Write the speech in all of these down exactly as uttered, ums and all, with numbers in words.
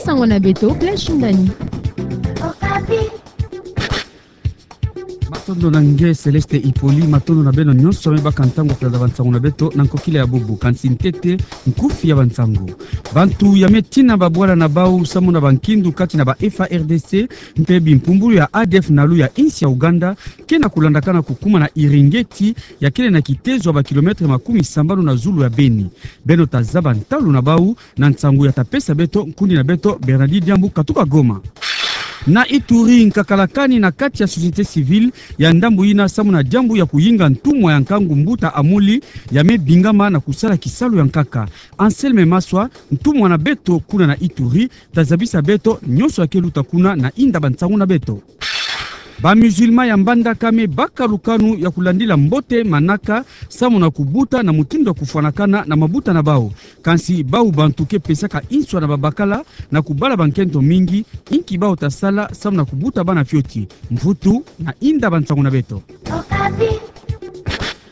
Sango na beto, Blaise Shindani. Matondo na nge Céleste Hippolyte, matondo na beno nyonso me baka ntangu ya kulanda bansangu na beto na nkokila ya bubu. Kansi ntete, nkufi ya bansangu. Bantu ya me tina babwala na bau samu na bankindu kati na ba F A R D C mpe bimpumbulu ya A D F Nalu ya insi ya Ouganda ke na kulandakana kukuma na Iringeti, ya kele na kitezo ya ba kilometre makumi sambanu na zulu ya Beni. Beno ta zaba ntalu na bau na nsangu ya ta pesa beto nkundi na beto Bernardine Diambu katuka Goma. Na Ituri, nkakalakani na kati ya société civile ya ndambu yina samu na diambu ya kuyinga ntumwa ya nkangu mbuta Amuli ya me bingama na kusala kisalu ya nkaka. Anselme Maswa, ntumwa na beto kuna na Ituri, ta zabisa beto nyonso ya ke luta kuna na inda bansangu na beto. Ba musulman ya Mbandaka me baka lukanu ya kulandila mbote manaka samu na kubuta na mutindu ya kufwanakana na mabuta na bau. Kansi bau bantu ke pesaka inswa na babakala na kubala bankento mingi, inki bau ta sala samu na kubuta bana fioti? Mvutu na inda bansangu na beto.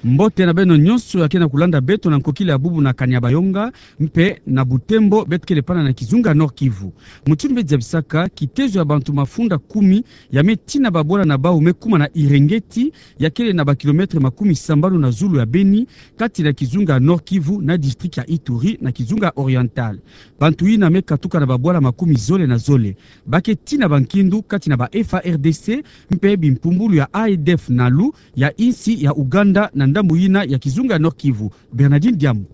Mbote na beno nyonso ya ke na kulanda beto na nkokila ya bubu na Kanyabayonga mpe na Butembo, beto kele pana na kizunga Nord-Kivu. Mutindu me zabisaka, kitezo ya bantu mafunda kumi ya me tina babwala na bau me kuma na Iringeti, ya kele na ba kilometre makumi sambanu na zulu ya Beni, kati na kizunga Nord-Kivu na district ya Ituri na kizunga Oriental. Bantu yina me katuka na babwala makumi zole na zole. Ba ke tina bankindu kati na ba F A R D C mpe bimpumbulu ya A D F Nalu ya insi ya Ouganda na ndambu yina ya kizunga Nord-Kivu. Bernardine Diambu.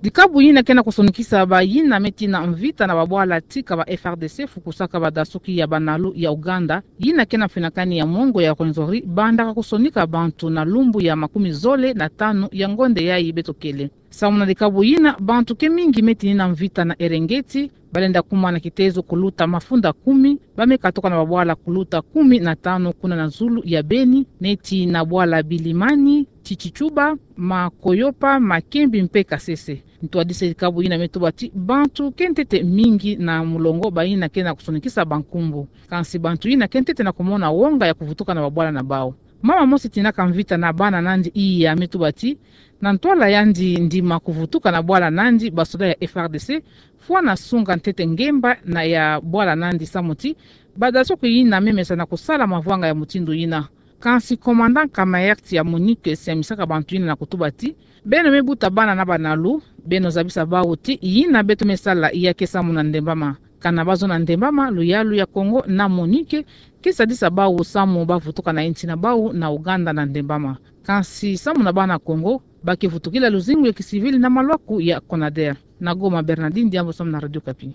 Dikabu yina ke na kusonikisa bayina me tina mvita na babwala tika ba F A R D C fukusaka badasuki ya ba Nalu ya Ouganda, yina ke na finakani ya mongo ya Rwenzori, bandaka kusonika bantu na lumbu ya makumi zole na tanu ya ngonde yayi beto kele. Samu na dikabu yina, bantu ke mingi me tinina mvita na Iringeti, balenda kuma na kitezo kuluta mafunda kumi, ba me katuka na babwala kuluta kumi na tanu kuna na zulu ya Beni, neti na bwala Bilimani, Tchitchouba, Makoyopa, Makembi mpe Kasese. Ntwadisi ya dikabu yina me tuba ti bantu ke ntete mingi na mulongo bayina ke na kusonikisa bankumbu. Kansi bantu yina ke ntete na kumona wonga ya kuvutuka na babwala na bau. Mama mosi tinaka mvita na bana nandi iya me tuba ti, na ntwala yandi ndima kuvutuka na bwala nandi, basoda ya F A R D C fwana sunga ntete ngemba na ya bwala nandi samu ti badasuki yina me mesa na kusala mavwanga ya mutindu yina. Kansi commandant Kamaert ya MONUC siamisaka bantu yina na kutuba ti, beno me buta bana na ba Nalu, beno zabisa bau ti yina beto me sala ya ke samu na ndembama. Kana bazo na ndembama, luyalu ya Kongo na MONUC ke sadisa bau samu bavutuka na insi na bau na Ouganda na ndembama. Kansi samu na bana Kongo, ba ke vutukila luzingu ya kisivili na malwaku ya CONADER. Na Goma, Bernardine Diambu samu na Radio Okapi.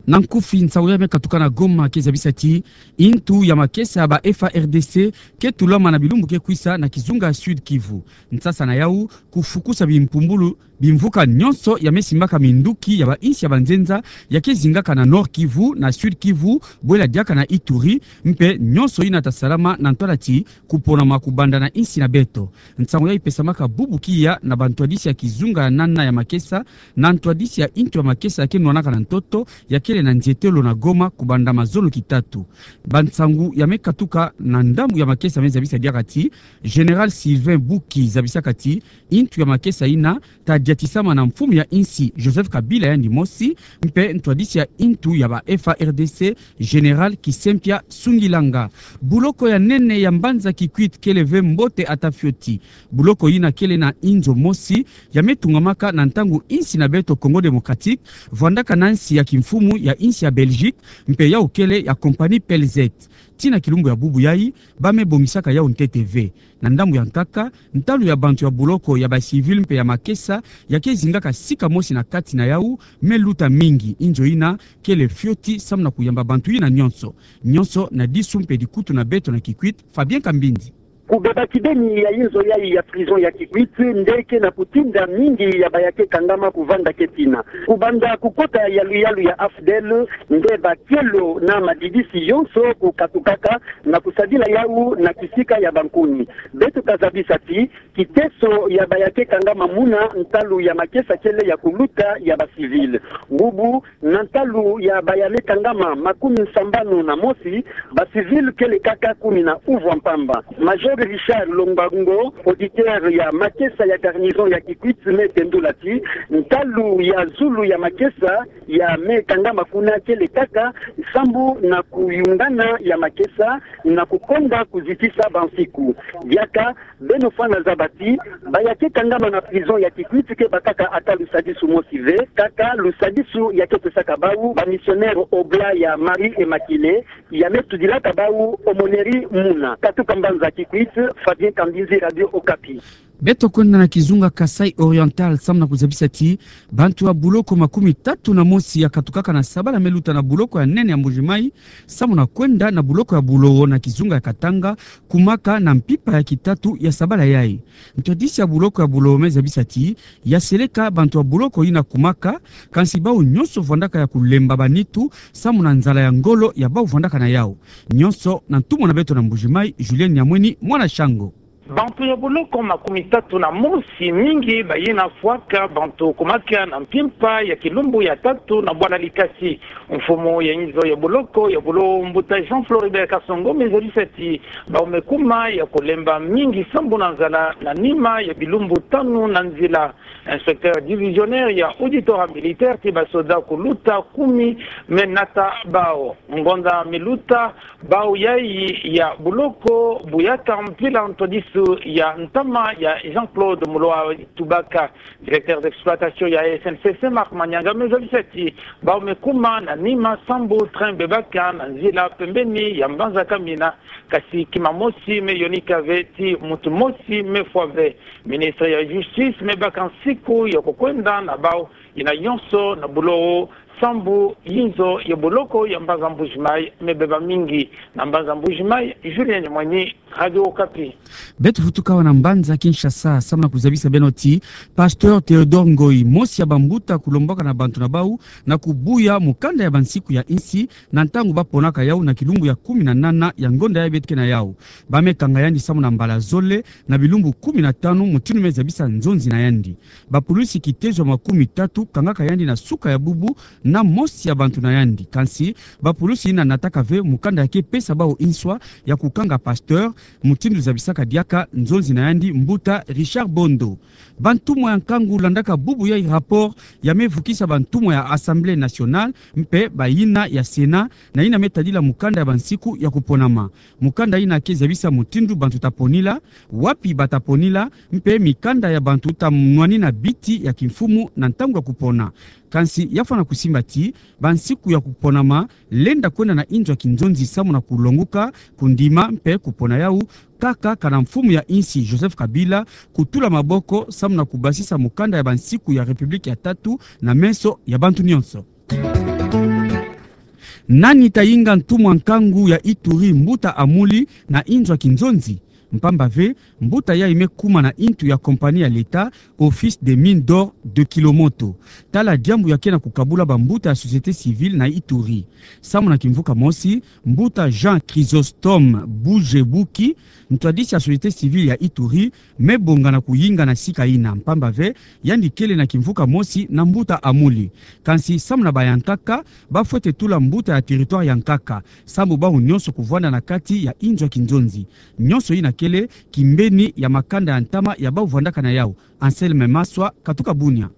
Na nkufi, nsangu ya me katuka na Goma ke zabisa ti intu ya makesa ya ba F A R D C ke tulama na bilumbu ke kwisa na kizunga Sud-Kivu. Nsasa na yau, kufukusa bimpumbulu, bimvuka nyonso ya me simbaka minduki ya ba insi ya banzenza ya ke zingaka na Nord-Kivu, na Sud-Kivu, bwela diaka na Ituri, mpe nyonso yina ta salama na ntwala ti kuponama kubanda na insi na beto. Nsangu yayi pesamaka bubu kiya na bantwadisi ya kizunga ya nana ya makesa, na ntwadisi ya intu ya makesa ya ke nwanaka na ntoto, ya kele na nzietelo na Goma kubanda mazono ki tatu. Bansangu ya me katuka na ndambu ya makesa me zabisa diaka ti, Général Sylvain Buki zabisaka ti, intu ya makesa yina ta diatisama na mfumu ya insi Joseph Kabila yandi mosi, mpe ntwadisi ya intu ya ba F A R D C, Général Kisempia Sungilanga. Buloko ya nene ya mbanza Kikwit kele ve mbote ata fioti. Buloko yina kele na inzo mosi ya me tungamaka na ntangu insi na beto Congo Démocratique vwandaka na nsi ya kimfumu ya insi ya Belgique, mpe yau kele ya compagnie P L Z. Tii na kilumbu ya bubu yayi, ba me bongisaka yau ntete ve. Na ndambu ya nkaka, ntalu ya bantu ya buloko, ya ba civil mpe ya makesa, ya ke zingaka sika mosi na kati na yau, me luta mingi. Inzo yina kele fioti samu na kuyamba bantu yina nyonso. Nyonso na disu mpe dikutu na beto na Kikwit, Fabien Kambindi. Kubeba kibeni ya inzo yayi ya prison ya Kikwit nde ke na kutinda mingi ya ba ya ke kangama kuvanda ke tina. Kubanda kukota ya luyalu ya AFDL, nde ba kielo na madidisi yonso kukatukaka na kusadila yau na kisika ya bankuni. Beto ka zabisa ti, kiteso ya ba ya ke kangama muna ntalu ya makesa kele ya kuluta ya ba civil. Bubu, na ntalu ya ba ya me kangama makumi sambanu na mosi, ba civil kele kaka kumi na uvwa mpamba. Major Richard Lombango, auditeur ya makesa ya garnison ya Kikwit, me tendula ti ntalu ya zulu ya makesa ya me kangama kuna kele kaka sambu na kuyungana ya makesa na kukonda kuzitisa bansiku. Diaka beno fwana zaba ti baya ke kangama na prison ya Kikwit ke bakaka ata lusadisu mosi ve, kaka lusadisu ya ke pesaka bawu ba missionnaire Oblat ya Marie Immaculée, ya me tudilaka bawu aumônerie muna. Katuka mbanza Kikwit, Fabien Kambinzi, Radio Okapi. Beto kwenda na kizunga Kasaï Oriental, samu na kuzabisa ti bantu ya buloko makumi tatu na mosi ya katukaka na sabala me luta na buloko ya nene ya Mbuji-Mayi, samu na kwenda na buloko ya Bulowo na kizunga ya Katanga, kumaka na mpimpa ya kitatu ya sabala yayi. Ntwadisi ya buloko ya Bulowo me zabisa ti ya seleka bantu ya buloko yina kumaka, kansi bawu nyonso vwandaka ya kulemba banitu samu na nzala ya ngolo ya bawu vwandaka na yawu. Nyonso na ntumwa na beto na Mbuji-Mayi, Julienne Nyamweni, mwana Shango. Bantu ya buloko makumi tatu na mosi, mingi bayina fwaka bantu kumaka na mpimpa ya kilumbu ya tatu na bwala likasi. Mfumu ya inzo ya buloko ya Bulowo, mbuta Jean Floribert Kasongo, me zabisa ti bawu me kuma ya kulemba mingi sambu na nzala na nima ya bilumbu tanu na nzila. Inspecteur divisionnaire ya auditorat militaire ti basoda kuluta kumi me nata bawu. Ngonda me luta bawu yayi ya buloko buyaka mpila ntwadisu ya ntama ya Jean-Claude Muloa Tubaka. Directeur d'exploitation ya S N C C, Marc Manianga, me zabisa ti bawu me kuma na nima sambu train bebaka na nzila pembeni ya mbanza Kamina, kasi kima mosi me yonika ve ti muntu mosi me fwa ve. Ministre ya Justice me baka nsiku ya kukwenda na bawu yina yonso na Bulowo, sambu inzo ya buloko ya mbanza Mbuji-Mayi me beba mingi. Na mbanza Mbuji-Mayi, Julien Nyamweni, Radio Okapi. Beto vutuka awa na mbanza Kinshasa, samu na kuzabisa beno ti Pasteur Théodore Ngoyi, mosi ya bambuta kulombaka na bantu na bawu na kubuya mukanda ya bansiku ya insi na ntangu baponaka yawu na kilumbu ya kumi na nana ya ngonda yayi beto ke na yawu. Ba me kanga yandi samu na mbala zole na bilumbu kumi na tanu, mutindu me zabisa nzonzi na yandi. Bapulusi kitezo ya makumi tatu kangaka yandi na suka ya bubu na mosi ya bantu na yandi. Kansi bapulusi yina nataka ve mukanda ya ke pesa bawu nswa ya kukanga pasteur, mutindu zabisaka diaka nzonzi na yandi, mbuta Richard Bondo. Bantumwa ya nkangu landaka bubu yayi rapport ya me vukisa bantumwa ya Assemblée nationale mpe bayina ya Sénat, na yina me tadila mukanda ya bansiku ya kuponama. Mukanda yina ke zabisa mutindu bantu ta ponila, wapi ba ta ponila, mpe mikanda ya bantu ta nwanina biti ya kimfumu na ntangu ya kupona. Kansi ya fwana kusimba ti bansiku ya kuponama lenda kwenda na inzo ya kinzonzi samu na kulonguka, kundima mpe kupona yawu kaka kana mfumu ya insi Joseph Kabila kutula maboko samu na kubasisa mukanda ya bansiku ya République ya tatu na meso ya bantu nyonso. Nani ta yinga ntumwa nkangu ya Ituri, mbuta Amuli, na inzo ya kinzonzi? Mpamba ve, mbuta yayi me kuma na intu ya compagnie ya l'État, Office des Mines d'Or de Kilomoto. Tala diambu ya ke na kukabula bambuta ya société civile na Ituri. Samu na kimvuka mosi, mbuta Jean Chrysostome Bougebuki, ntwadisi ya société civile ya Ituri, me bonga na kuyinga na sika yina, mpamba ve yandi kele na kimvuka mosi na mbuta Amuli. Kansi samu na bayankaka, ba fwete tula mbuta ya territoire ya nkaka, sambu bawu nyonso kuvwanda na kati ya inzo ya kinzonzi. Nyonso yina kele kimbeni ya makanda ya ntama ya bawu vwandaka na yawu. Anselme Maswa, katuka Bunia.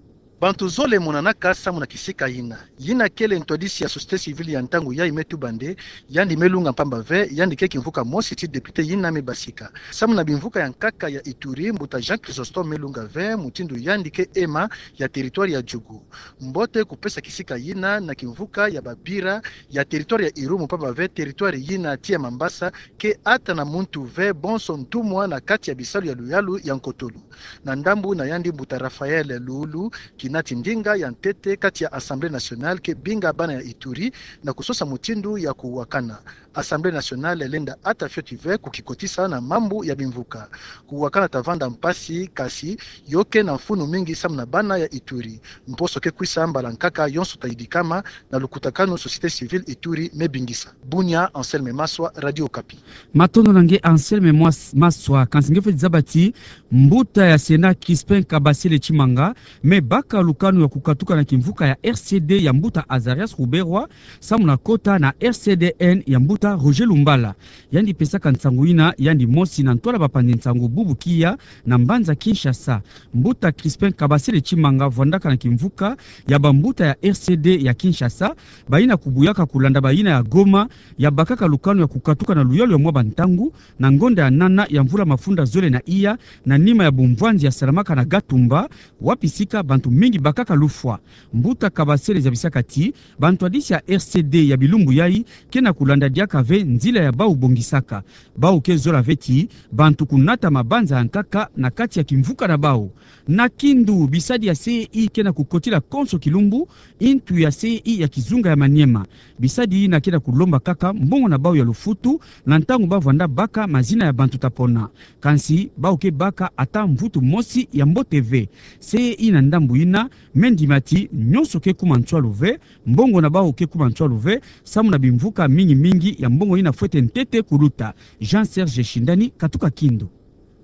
Bantu zole monanaka samu na kisika yina. Yina kele ntwadisi ya société civile ya ntangu yayi me tuba nde yandi me lunga, mpamba ve yandi ke kimvuka mosi ti député yina me basika. Samu na bimvuka ya nkaka ya Ituri, mbuta Jean Chrysostome me lunga ve mutindu yandi ke ema ya territoire ya Djugu. Mbote kupesa kisika yina na kimvuka ya babira ya territoire ya Irumu, mpamba ve territoire yina tii ya Mambasa ke ata na muntu ve bonso ntumwa na kati ya bisalu ya luyalu ya nkotolo. Na ndambu na yandi, mbuta Raphaël Loulou, kinati ndinga ya ntete kati ya Assemblée nationale, ke binga bana ya Ituri na kusosa mutindu ya kuwakana. Assemblée nationale lenda ata fioti ve kukikotisa na mambu ya bimvuka. Kuwakana ta vanda mpasi, kasi yo ke na mfunu mingi samu na bana ya Ituri. Mposo ke kwisa, mbala nkaka yonso ta yidikama na lukutakanu société civile Ituri me bingisa. Bunia, Anselme Maswa, Radio Okapi. Matondo na nge Anselme Mwas-, Maswa. Kansi nge fweti zaba ti mbuta ya Sénat Crispin Kabasele Tshimanga me baka lukanu ya kukatuka na kimvuka ya R C D ya mbuta Azarias Ruberwa, samu na kota na R C D N ya mbuta mbuta Roger Lumbala. Yandi pesaka nsangu yina, yandi mosi na ntwala bapanzi nsangu bubu kiya na mbanza Kinshasa. Mbuta Crispin Kabasele Tshimanga vwandaka na kimvuka ya bambuta ya R C D ya Kinshasa, bayina kubuyaka kulanda bayina ya Goma, ya bakaka lukanu ya kukatuka na luyalu ya mwa bantangu, na ngonda ya nana ya mvula mafunda zole na iya, na nima ya bumvwanzi yasalamaka na Gatumba, wapi sika bantu mingi bakaka lufwa. Mbuta Kabasele zabisaka ti, bantwadisi ya R C D ya bilumbu yayi, ke na kulanda diaka ve nzila ya bau bongisaka. Bau ke zola ve ti, bantu kunata mabanza ya nkaka na kati ya kimvuka na bau. Na Kindu, bisadi ya C E I ke na kukotila konso kilumbu intu ya C E I ya kizunga ya Maniema. Bisadi yina ke na kulomba kaka mbongo na bau ya lufutu, na ntangu bavwanda baka mazina ya bantu ta pona. Kansi, bau ke baka ata mvutu mosi ya mbote ve. C E I na ndambu yina, me ndima ti, nyonso ke kuma nswalu ve, mbongo na bau ke kuma nswalu ve, samu na bimvuka mingi-mingi ya mbongo yina fwete ntete kuluta. Jean Serge Shindani, katuka Kindu.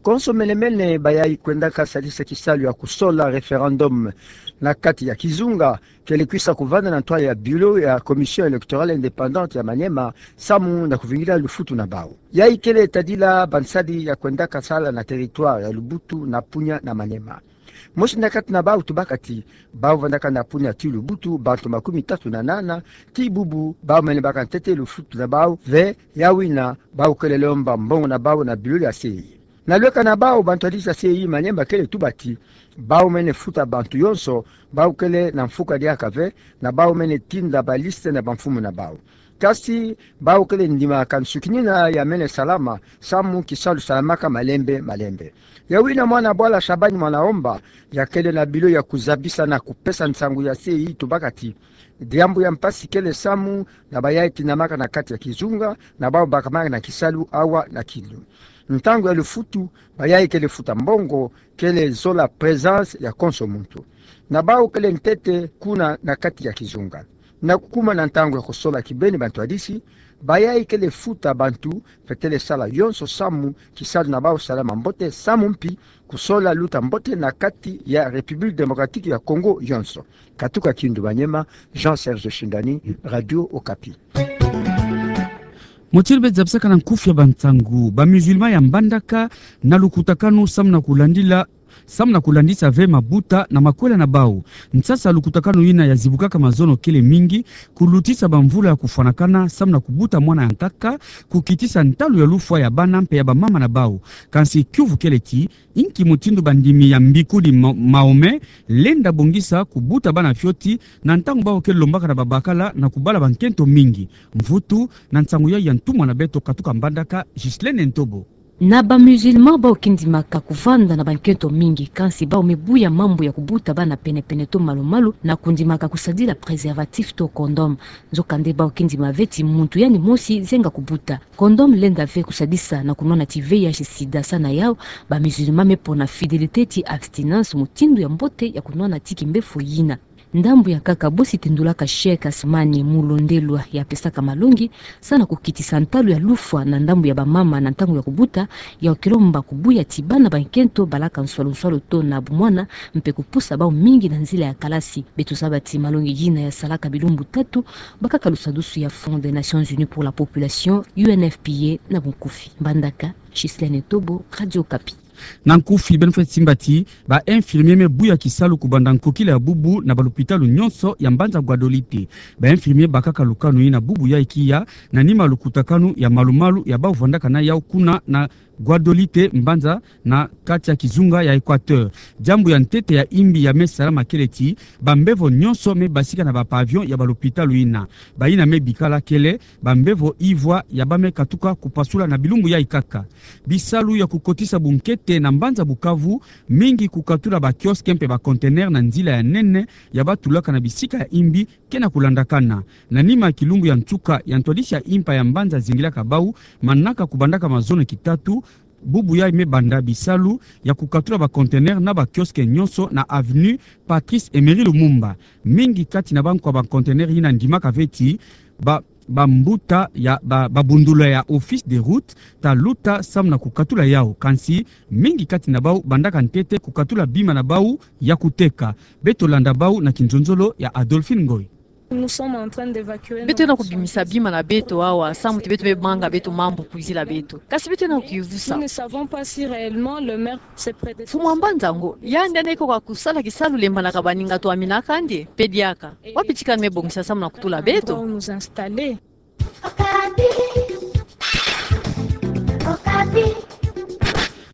Konso mene-mene bayayi kwendaka sadisa kisalu ya kusola référendum na kati ya kizunga, kele kwisa kuvanda na ntwala ya bureau ya Commission électorale indépendante ya Maniema, samu na kuvingila lufutu na bau. Yayi kele tadila bansadi ya kwendaka sala na territoire ya Lubutu na Punia na Maniema. Mosi na kati na bau tubaka ti, bau vandaka na Punia ti Lubutu bantu makumi tatu na nana, ti bubu bau mene baka ntete lufutu na bau ve, ya wina bau kele lomba mbongo na bau na bureau ya C E I. Na lweka na bau, bantwadisi ya C E I Maniema kele tuba ti, bau mene futa bantu yonso bau kele na mfuka diaka ve, na bau mene tinda baliste na bamfumu na bau. Kasi, bau kele ndimaka nsukinina ya mene salama, samu kisalu salamaka malembe-malembe. Ya wina mwana bwala Shabani Mwanaomba, ya kele na bureau ya kuzabisa na kupesa nsangu ya C E I tubaka ti, diambu ya mpasi kele samu na bayayi tinamaka na kati ya kizunga, na bau bakamaka na kisalu awa na Kindu. Ntangu ya lufutu, bayayi kele futa mbongo, kele zola présence ya konso muntu. Na bau kele ntete kuna na kati ya kizunga. Na kukuma na ntangu ya kusola kibeni bantwadisi, bayayi kele futa bantu, fwete le sala yonso samu kisalu na bau salama mbote, samu mpi kusola luta mbote na kati ya République démocratique ya Congo yonso. Katuka Kindu Maniema, Jean Serge Shindani, Radio Okapi. Motiri be zabisaka na nkufi ya bansangu, ba musulman ya Mbandaka na lukutakanu samu na kulandila, samu na kulandisa ve mabuta na makwela na bau. Nsasa lukutakanu yina ya zibukaka mazono kele mingi, kulutisa bamvula ya kufwanakana samu na kubuta mwana ya nkaka, kukitisa ntalu ya lufwa ya bana mpe ya bamama na bau. Kansi kiuvu kele ti, inki mutindu bandimi ya mbikuli Ma-, Mahomet lenda bongisa kubuta bana fioti, na ntangu bau ke lombaka na babakala na kubala bankento mingi. Mvutu na nsangu ya ya ntumwa na beto katuka Mbandaka, Ghislaine Ntobo. Na ba musulman bau ke ndimaka kuvanda na bankento mingi, kansi bau me buya mambu ya kubuta bana pene-pene to malu-malu, na kundimaka kusadila préservatif to condom. Nzokande bau ke ndima ve ti muntu yani mosi zenga kubuta. Condom lenda ve kusadisa na kunwana ti V I H sida. Sa na yau, ba musulman me pona fidélité ti abstinence, mutindu ya mbote ya kunwana ti kimbefo yina. Ndambu ya nkaka bosi tendulaka Cheikh Asmani Mulondelwa ya pesaka malongi, sa na kukitisa ntalu ya lufwa na ndambu ya bamama na ntangu ya kubuta, yau ke lomba kubuya ti bana bankento balaka nswalu-nswalu to na bumwana, mpe kupusa bau mingi na nzila ya kalasi. Beto zaba ti malongi yina ya salaka bilumbu tatu, bakaka lusadusu ya Fonds des Nations Unies pour la Population, U N F P A na bunkufi. Mbandaka, Ghislaine Ntobo, Radio Okapi. Na nkufi, beno fwete simba ti, ba infirmier me buya kisalu kubanda nkokila ya bubu na balupitalu nyonso ya mbanza Guadolite. Ba infirmier bakaka lukanu yina bubu yayi kiya, na nima lukutakanu ya malu-malu ya bau vandaka na yau kuna na Guadolite, mbanza na kati ya kizunga ya Equateur. Diambu ya ntete ya imbi ya me salama kele ti, bambevo nyonso me basika na ba pavillon ya balupitalu yina. Bayina me bikala kele bambevo ivwa ya ba me katuka kupasula na bilumbu yayi kaka. Bisalu ya kukotisa bunkete na mbanza Bukavu, mingi kukatula ba kiosque mpe ba conteneur na nzila ya nene ya ba tulaka na bisika ya imbi, ke na kulandakana. Na nima ya kilumbu ya nsuka ya ntwadisi ya impa ya mbanza zingilaka bau, manaka kubandaka mazono kitatu, bubu yayi me banda bisalu ya kukatula ba conteneur na ba kiosque nyonso na avenue Patrice Emery Lumumba. Mingi kati na bankwa ba conteneur yina ndimaka ve ti, ba, bambuta ya, ba, babundula ya Office des Routes ta luta samu na kukatula yau. Kansi, mingi kati na bau bandaka ntete kukatula bima na bau ya kuteka. Beto landa bau na kinzonzolo ya Adolphine Ngoy. Nous sommes en train d'évacuer nos marchandises. Beto yenda kubimisa bima na beto awa, samu ti beto me manga beto mambu kwizila beto. Kasi beto yenda kukiuvusa. Nous ne savons pas si réellement le maire, ses prédécesseurs. Mfumu wa mbanza ngo, yandi yandi eka kwa kusala kisalu lemba na kabaninga twaminaka ndi, pe diaka. Wapi tika ni me bongisa samu na kutula beto? Endroit où nous installer. Okapi. Okapi.